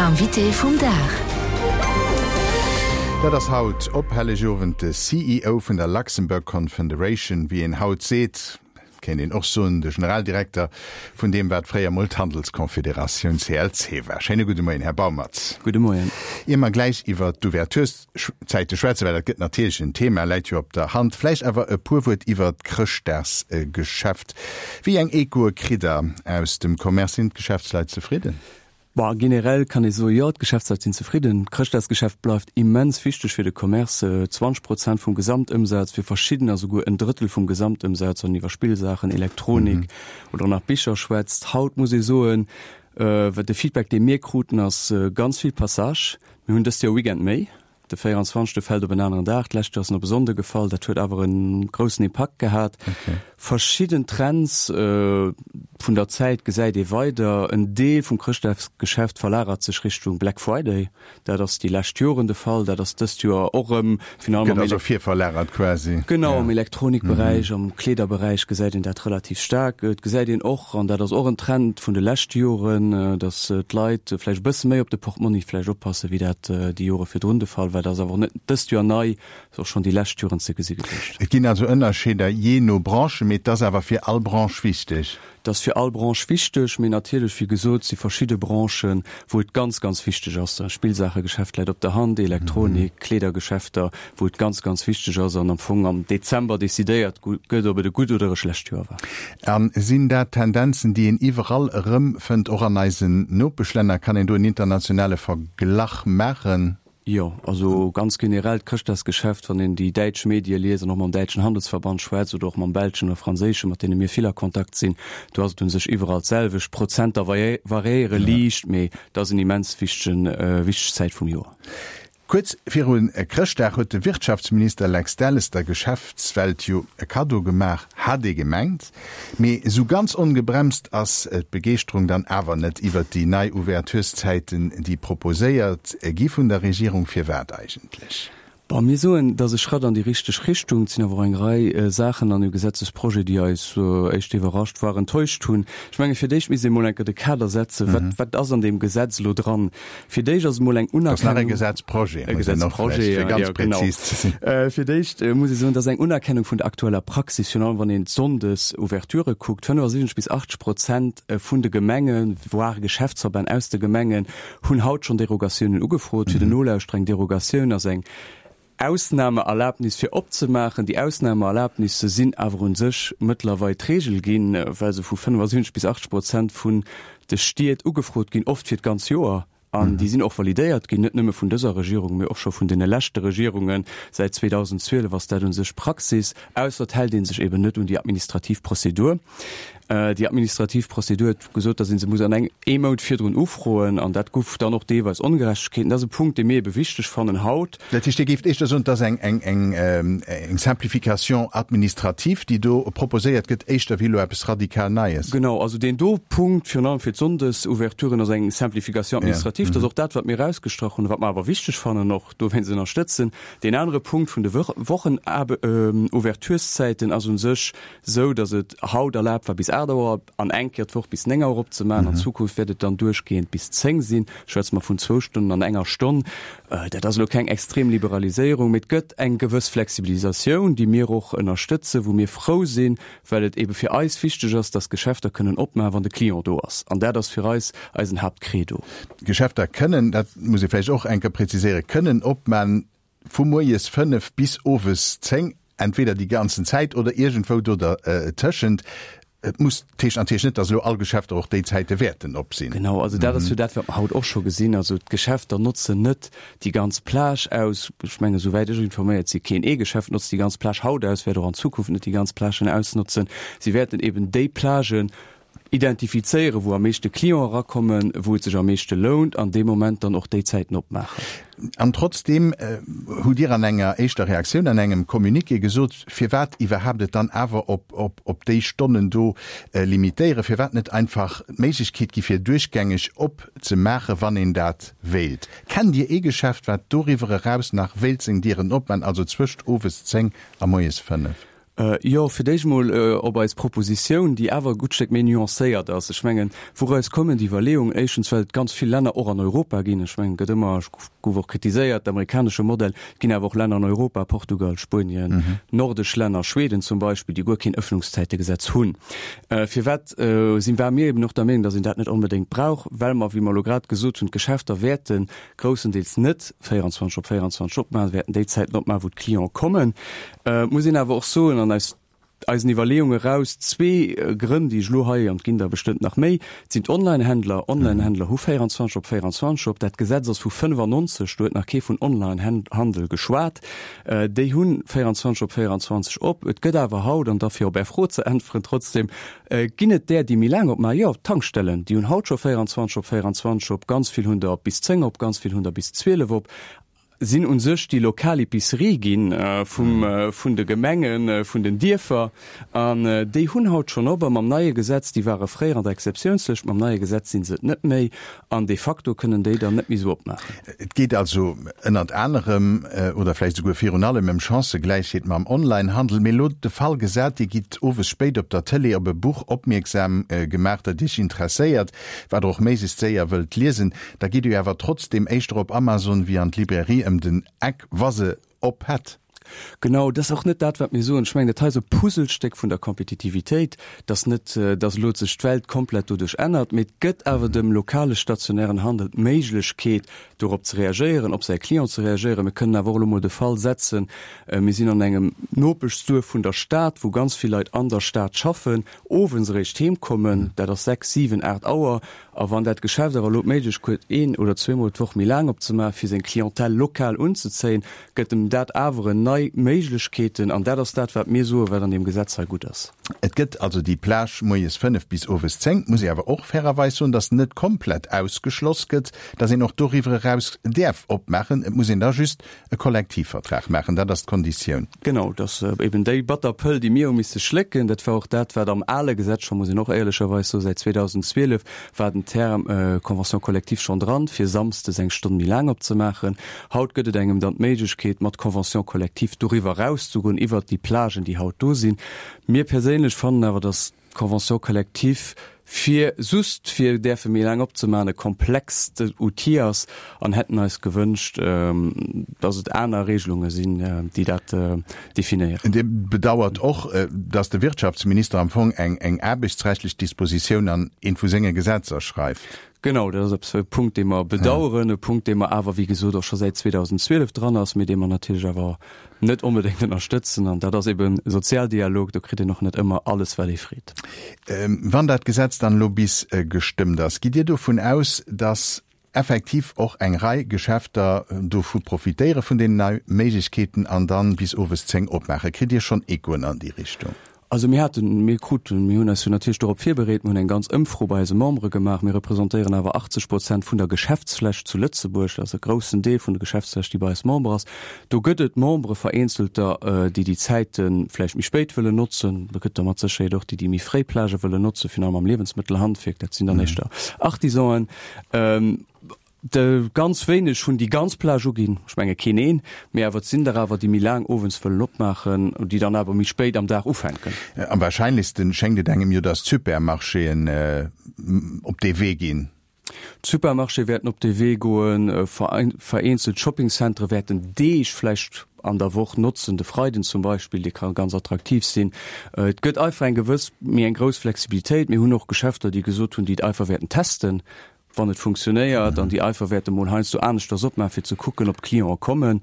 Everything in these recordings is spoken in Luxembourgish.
Invité vum Dag. Dat ass haut op Hellegowend de CEO vun der Luxembourg Confederation, wéi een haut seet, kéint een och soen, de Generaldirekter vun deem, wat fréier mol d'Handelsconfederatioun CLC war. Schéine gudde Moien, Här Baumertz. Gudde Moien. Ier mer gläich iwwert d'Ouvertureszäite schwätzen, well dat gëtt natierlech en Thema, läit jo op der Hand, vläicht awer e puer Wuert iwwert d'Chrëschtdagsgeschäft. Wéi eng Echoe kritt Der aus dem Commerce? Sinn d'Geschäftsleit zefridden? Bon, generell kann ee soen, jo, d'Geschäftsleit sinn zefridden. D'Chrëschtdagsgeschäft bleift immens wichteg fir de Commerce, 20 Prozent vum Gesamtëmsaz, fir verschiddener souguer en Drëttel vum Gesamtëmsaz, wann een iwwer Spillsaachen, Elektronik oder nach Bicher schwätzt. Haut muss ee soen, wat de Feedback, dee mir kruten, ass ganz vill Passage. Mir hunn dëst Joer e Weekend méi. De 24. fält op en aneren Dag, d'lescht Joer ass en op e Sonnde gefall, dat huet awer e groussen Impakt gehat. Verschidden Trends vun der Zäit gesäit ee weider, En Deel vum Chrëschtdagsgeschäft verlagert sech Richtung Black Friday, dat ass déi lescht Joren de Fall, dat ass dëst Joer och erëm, virun allem am. Gëtt also virverlagert quasi. Genau, am Elektronikberäich, am Kleederberäich gesäit een dat relativ staark. Et gesäit een och, an dat ass och en Trend vun de leschte Joren, datt d'Leit vläicht e bësse méi op de Portmonni vläicht oppassen, wéi dat déi Jore virdrun de Fall war. Dat ass awer och net dëst Joer nei, ass och schonn déi lescht Joren ze gesi gewiescht. Et ginn also Ënnerscheeder jee no Branche, mee et ass awer fir all Branche wichteg. Et ass fir all Branche wichteg, mee natierlech, wéi gesot, si verschidde Branchen, wou et ganz, ganz wichteg ass. Spillsaachegeschäft läit op der Hand, Elektronik, Kleedergeschäfter, wou et ganz, ganz wichteg ass an am Fong am Dezember decidéiert gëtt, ob et e gutt oder e schlecht Joer war. A sinn dat Tendenzen, déi een iwwerall erëmfënnt, och an eisen Nopeschlänner? Kann een do en internationale Verglach maachen? Jo, also ganz generell d'Chrëschtdagsgeschäft, wann een déi däitsch Medie liest an och mam däitschen Handelsverband schwätzt oder och mam belschen oder franséischen, mat deene mir vill a Kontakt sinn, do ass et u sech iwwerall d'selwecht. D'Prozenter variéiere liicht, mee et ass en immens wichtegen, wichteg Zäit vum Joer. Kuerz viru Chrëschtdag huet de Wirtschaftsminister Lex Delles der Geschäftswelt jo e Kaddo gemaach, hat ee gemengt. Mee esou ganz ongebremst ass d'Begeeschterung dann awer net iwwert déi nei Ouvertureszäiten, déi proposéiert gi vun der Regierung. Firwat eigentlech? Bon, mir soen, et ass e Schratt an déi richteg Richtung. Et sinn awer och eng Rei Saachen an dem Gesetzesprojet, déi eis éischt iwwerrascht, voire enttäuscht hunn. Ech menge fir d'éischt misst ee mol eng Kéier de Kader setzen, wat, wat ass an deem Gesetz elo dran? Fir d'éischt ass emol eng Unerkennung. Dat ass nach e Gesetzprojet, e Gesetzprojet, fir ganz präzis ze sinn. Fir d'éischt muss ee soen, dat ass eng Unerkennung vun der aktueller Praxis, virun allem wann een d'Sonndes-Ouverturë kuckt. 75 bis 80 Prozent vun de Gemengen, voire Geschäftsverbänn aus de Gemengen, hunn haut schonn Derogatiounen ugefrot. Fir den Nolauschterer, eng Derogatioun ass eng Ausnahmeerlaabnis fir opzemaachen. Déi Ausnahmeerlaabnisse sinn awer u sech mëttlerweil d'Regel ginn, well se vu 75 bis 80 Prozent vun de Stied ugefrot ginn, oft fir d'ganz Joer. An déi sinn och validéiert ginn, net nëmme vun dëser Regierung, mee och scho vun deene leschte Regierungen. Säit 2012 ass dat u sech Praxis, ausser et hält ee sech eben net un déi administrativ Prozedur. Déi administrativ Prozedur huet gesot, datt ee se muss an engem ee Mount virdrun ufroen, an dat guff dann och deelweis Ongerechtegkeeten. Dat ass e Punkt, dee mir ebe wichteg fannen haut. Dat heescht, Dir géift éischter soen, et ass eng, eng, eng, eng Simplification administrative, déi do proposéiert gëtt, éischter wéi elo eppes radikal Neies? Genau, also deen do Punkt, virun allem fir d'Sonndesouverturen, ass eng Simplification administrative. Dat ass och dat, wat mir erausgestrach hunn a wat mer awer wichteg fannen, och dowéinst ënnerstëtzen. Deen anere Punkt vun de Wochenouvertureszäiten ass u sech sou datt et haut erlaabt war bis 8 Auer an eng Kéier d'Woch bis 9 Auer opzemaachen. An Zukunft wäert et dann duerchgehend bis 10 sinn. Schwätze mer vun zwou Stonnen an enger Stonn. Dat ass elo keng extrem Liberaliséierung, mee et gëtt eng gewëss Flexibilisatioun, déi mir och ënnerstëtzen, wou mir frou sinn, well et ebe fir eis wichteg ass, datt d'Geschäfter kënnen opmaachen, wann de Client do ass. An dat ass fir eis eisen Haaptcredo. D'Geschäfter kënnen, dat muss ee vläicht och eng Kéier präziséieren, kënnen opmaachen vu moies 5 bis owes 10, entweder déi ganzen Zäit oder iergendwou do dertëschent. Et muss, dat heescht natierlech net, datt elo all Geschäfter och déi Zäite wäerten op sinn. Genau, also dat ass jo dat, wat mer haut och scho gesinn. Also d'Geschäfter notzen net déi ganz Plage aus. Ech mengen, esouwäit ech informéiert si, keen ee Geschäft notzt déi ganz Plage haut aus, wäert och an Zukunft net déi ganz Plagen ausnotzen. Si wäerten eben déi Plagen Identifizéieren, wou am meeschte Clienten erakommen, wou et sech am meeschte lount, an dee Moment dann och déi Zäiten opmaachen. An trotzdeem hutt Dir an enger éischter Reaktioun, an engem Communiqué gesot, firwat iwwerhaapt et dann awer op déi Stonnen do limitéieren, firwat net einfach d'Méiglechkeet gi fir duerchgängeg opzemaachen, wann een dat wéilt. Kennt Dir ee Geschäft, wat doriwwer eraus nach wéilt seng Dieren opmaachen, also zwëscht owes 10 a moies 5? Jo, fir d'éischt emol op eis Propositioun, déi awer e gutt Stéck méi nuancéiert ass. Ech mengen, wouraus kommen déi Iwwerleeungen? Éischtens, well et ganz vill Länner och an Europa ginn. Ech mengen, et gëtt ëmmer, gouf och kritiséiert, d'amerikanesche Modell. Et ginn awer och Länner an Europa, Portugal, Spuenien, nordesch Länner, Schweden zum Beispill, déi guer keen Ëffnungszäitegesetz hunn. Firwat si war mir eben och der Meenung, datt een dat net onbedéngt brauch? Well mer, wéi mer elo grad gesot hunn, d'Geschäfter wäerte groussendeels net 24 op 24 opmaachen, wäerten déi Zäiten opmaachen, wou d'Clienten kommen. Et muss een awer och soen, an aus eisen Iwwerleeunge eraus, zwee Grënn, déi ech elo hei, an et ginn der bestëmmt nach méi, et sinn d'Onlinehändler. Onlinehändler hu 24 op 24 op. Dat Gesetz ass vu 95, do huet nach kee vun Onlinehandel geschwat. Déi hu 24 op 24 op. Et gëtt awer haut, an da fir op Är Fro ze äntweren trotzdem, ginn et där, déi méi laang opmaachen. Jo, d'Tankstellen, déi hunn haut scho 24 op 24 op. Ganz vill hunn der bis 10 op, ganz vill hunn der bis 12 op. sinn u sech déi lokal Epicerie ginn vum, vun de Gemengen, vun den Dierfer. An déi hunn haut schonn op. A mam neie Gesetz, déi ware fréier an der Exceptiounslëscht, mam neie Gesetz si se et net méi. An de facto kënnen déi dann net méi esou opmaachen. Et geet also ënnert anerem oder vläicht esouguer virun allem ëm Chancëgläichheet mam Onlinehandel. Mee elo de Fall gesat, Dir gitt owes spéit op der Tëlee op e Buch opmierksam gemaach, dat Iech interesséiert, wat Der och méiglechst séier wëllt liesen. Da gitt Dir jo awer trotzdem éischter op Amazon wéi an d'Librairie ëm den Eck, wa se op hätt. Genau, dat ass och net dat, wat mir soen. Ech mengen, dat hei ass e Puzzlestéck vun der Kompetitivitéit, dass net, dass elo sech d'Welt komplett doduerch ännert, mee et gëtt awer dem lokale stationären Handel d'Méiglechkeet, dorop ze reagéieren, op säi Client ze reagéieren. Mir kënnen awer och elo mol de Fall setzen, mir sinn an engem Nopeschsduerf vun der Stad, wou ganz vill Leit an der Stad schaffen, owends eréischt heem kommen, dat ass 6, 7, 8 Auer, A wann dat Geschäft awer elo d'Méiglechkeet huet, een oder zweemol d'Woch méi laang opzemaachen, fir seng Clientèle lokal unzezéien, gëtt em dat awer en nei Méiglechkeeten. An dat ass dat, wat mir soen, wat an deem Gesetz hei gutt ass. Et gëtt also déi Plage moies 5 bis owes 10. Et muss ee awer och fairerweis soen, dass net komplett ausgeschloss gëtt, dass een och doriwwer eraus däerf opmaachen. Et muss een da just e Kollektivvertrag maachen, dat ass d'Konditioun. Genau, dat ass eben déi batter Pëll, déi mir hu misse schlécken. Dat war och dat, wat am ale Gesetz scho, muss een och éierlecherweis soen, säit 2012 war den Term Convention collective schonn dran, fir samsdes eng Stonn méi laang opzemaachen. Haut gëtt et engem dann d'Méiglechkeet, mat Convention collective doriwwer erauszegoen, iwwert déi Plagen, déi haut do sinn. Mir perséinlech fannen awer, datt d'Convention collective fir just fir däerfe méi laang opzemaachen e komplext Outil ass an hätten eis gewënscht, datt et aner Regelunge sinn, déi dat definéieren. Dir bedauert och, datt de Wirtschaftsminister am Fong eng aarbechtsrechtlech Dispositioun an eent vu senge Gesetzer schreift. Genau, dat ass eppes, e Punkt, dee mer bedauern, e Punkt, dee mer awer, wéi gesot, och scho säit 2012 dran ass, mee dee mer natierlech awer net onbedéngt ënnerstëtzen. An dat ass eben Sozialdialog, do kritt een och net ëmmer alles, wat ee freet. Wann dat Gesetz dann elo bis gestëmmt ass, gitt Dir dovun aus, datt effektiv och eng Rei Geschäfter dovu profitéiere vun deenen nei Méiglechkeeten an dann bis owes 10 opmaachen? Kritt Dir schonn Echoen an déi Richtung? Also mir haten, mir kruten, mir hunn eis jo natierlech dorop virbereet, mir hunn eng ganz Ëmfro bei eise Membere gemaach. Mir representéieren awer 80 Prozent vun der Geschäftsfläch zu Lëtzebuerg. Dat ass e groussen Deel vun der Geschäftsfläch, déi bei eis Member ass. Do gëtt et Membere, vereenzelter, déi déi Zäite vläicht méi spéit wëllen notzen. Do gëtt der mat Sécherheet och déi, déi méi fréi Plagë wëllen notzen, virun allem am Liewensmëttelhandwierk. Dat sinn dann éischter Artisanen. De ganz wéineg hunn déi ganz Plage uginn, ech menge keen een, mee awer et sinn der awer, déi méi laang owends wëllen opmaachen, déi dann awer méi spéit am Dag ufänken. Am wahrscheinlechsten schéngt et engem jo, datt d'Supermarchéen op dee Wee ginn. D'Supermarchéë wäerten op dee Wee goen, vereenzelt Shoppingcentere wäerten Deeg vläicht an der Woch notzen, de Freiden zum Beispill, dee ka ganz attraktiv sinn. Et gëtt einfach eng gewëss, méi eng grouss Flexibilitéit. Mir hunn och Geschäfter, déi gesot hunn, déi et einfach wäerten testen, wann et funktionéiert, an déi einfach wäerte mol heiansdo aneschters opmaachen, fir ze kucken, ob d'Clienten kommen.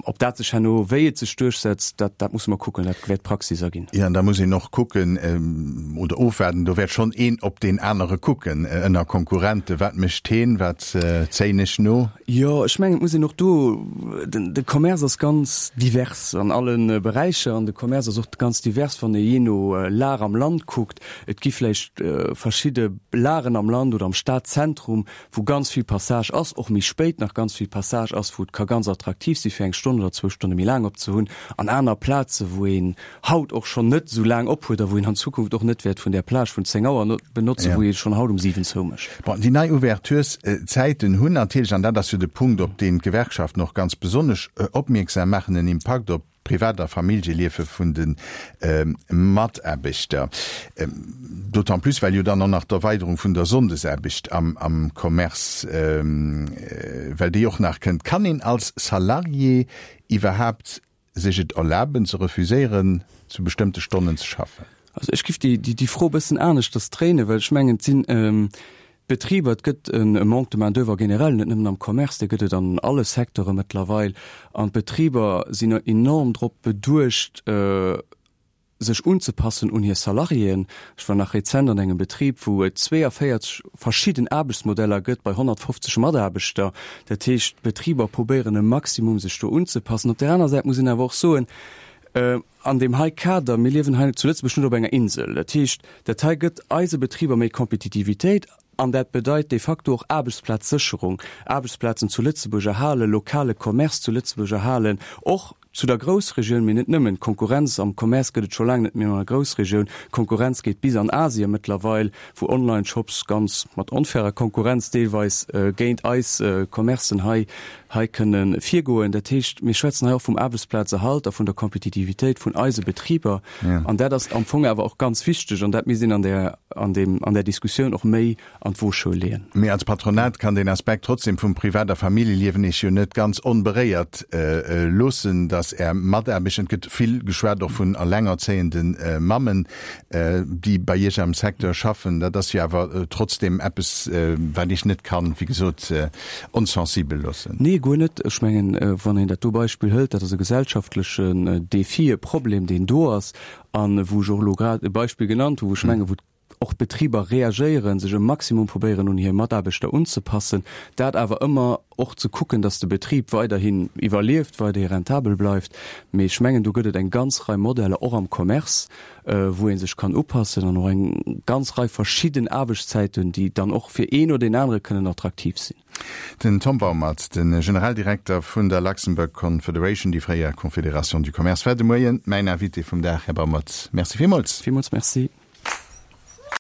Ob dat sech herno, wéi et sech duerchsetzt, dat, dat musse mer kucken, dat wäert d'Praxis erginn. Jo, an da muss een och kucken oder ofwaarden, do wäert schonn een op deen anere kucken ënner Konkurrenten, wat mécht heen, wat zéien ech no? Jo, ech mengen, et muss een och do, den, de Commerce ass ganz divers an alle Beräicher an de Commerce ass och ganz divers, wann ee jee no Lag am Land kuckt. Et gi vläicht verschidde Lagen am Land oder am Stadzentrum, wou ganz vill Passage ass, och méi spéit nach ganz vill Passage ass, wou et ka ganz attraktiv si fir eng Stonn oder zwou Stonne méi laang opzehunn, an aner Plaze wou een haut och schonn net esou laang op huet a wou een an Zukunft och net wäert vun där Plage vun 10 Auer benotzen, wou ee schonn haut um 7 zoumécht. Bon, déi nei Ouvertureszäiten hunn natierlech, an dat ass jo de Punkt, op deen d'Gewerkschaften och ganz besonnesch opmierksam maachen, en Impakt op. Privat a Familljeliefe vun de Mataarbechter. D'autant plus, well jo dann och nach d'Erweiderung vun der Sonndesaarbecht am Commerce, well déi och nach kënnt. Kann een als Salarié iwwerhaapt sech et erlaben ze refuséieren, zu bestëmmte Stonnen ze schaffen? Also ech giff déi Fro e bëssen aneschters dréinen, well ech mengen, et sinn Betriber, et gëtt e Manque de main d'oeuvre generell, net nëmmen am Commerce, dee gëtt et an alle Secteure mëttlerweil. An d'Betriber sinn enorm drop beduecht, sech unzepassen un hir Salariéen. Ech war nach rezent an engem Betrib, wou et 42 verschidden Aarbechtsmodeller gëtt bei 150 Mataarbechter. Dat heescht, d'Betriber probéieren e Maximum sech do unzepassen. Op där aner Säit muss een awer och soen, an deem hei Kader, mir liewen hei zu Lëtzebuerg net op enger Insel, dat heescht, dat hei gëtt eise Betriber méi Kompetitivitéit an dat bedeit de facto och Aarbechtsplazsécherung, Aarbechtsplazen zu Lëtzebuerg erhalen, lokale Commerce zu Lëtzebuerg erhalen, och zu der Groussregioun, mee net nëmmen. D'Konkurrenz am Commerce gëtt et scho laang net méi an der Groussregioun. D'Konkurrenz geet bis an Asien mëttlerweil, wou Online-Shops ganz mat onfairer Konkurrenz deelweis géint eis Commercen hei hei kënne virgoen. Dat heescht, mir schwätzen hei och vum Aarbechtsplazerhalt a vun der Kompetitivitéit vun eise Betriber. An dat ass am Fong awer och ganz wichteg an dat misst een an där, an deem, an där Diskussioun och méi an d'Woschoul leeën. Mee als Patronat kann deen Aspekt trotzdem vum Privat a Familljeliewen Iech jo net ganz onberéiert loossen, dass Är Mataarbechter, et gëtt vill geschwat och vun allengerzéiende Mammen, déi bei Iech am Secteur schaffen, dat ass jo awer trotzdem eppes, wat Iech net kann, wéi gesot, onsensibel loossen. Nee, guer net. Ech mengen, wann een dat do Beispill hëlt, dat ass e gesellschaftlechen Défi, e Problem, deen do ass a wou ech och elo grad e Beispill genannt hu, wou ech mengen, wou och d'Betriber reagéieren, sech e Maximum probéieren un hir Mataarbechter unzepassen, dat awer ëmmer och ze kucken, datt de Betrib weiderhin iwwerlieft, weiderhi rentabel bleift. Mee ech mengen, do gëtt et eng ganz Rei Modeller, och am Commerce, wou ee sech kann upassen an och eng ganz Rei verschidden Aarbechtszäiten, déi dann och fir een oder deen anere kënnen attraktiv sinn. Den Tom Baumert, de Generaldirekter vun der Luxembourg Confederation, déi fréier Confédération du Commerce, war de Moien mäin Invité vum Dag. Här Baumert, Merci villmools. Villmools Merci.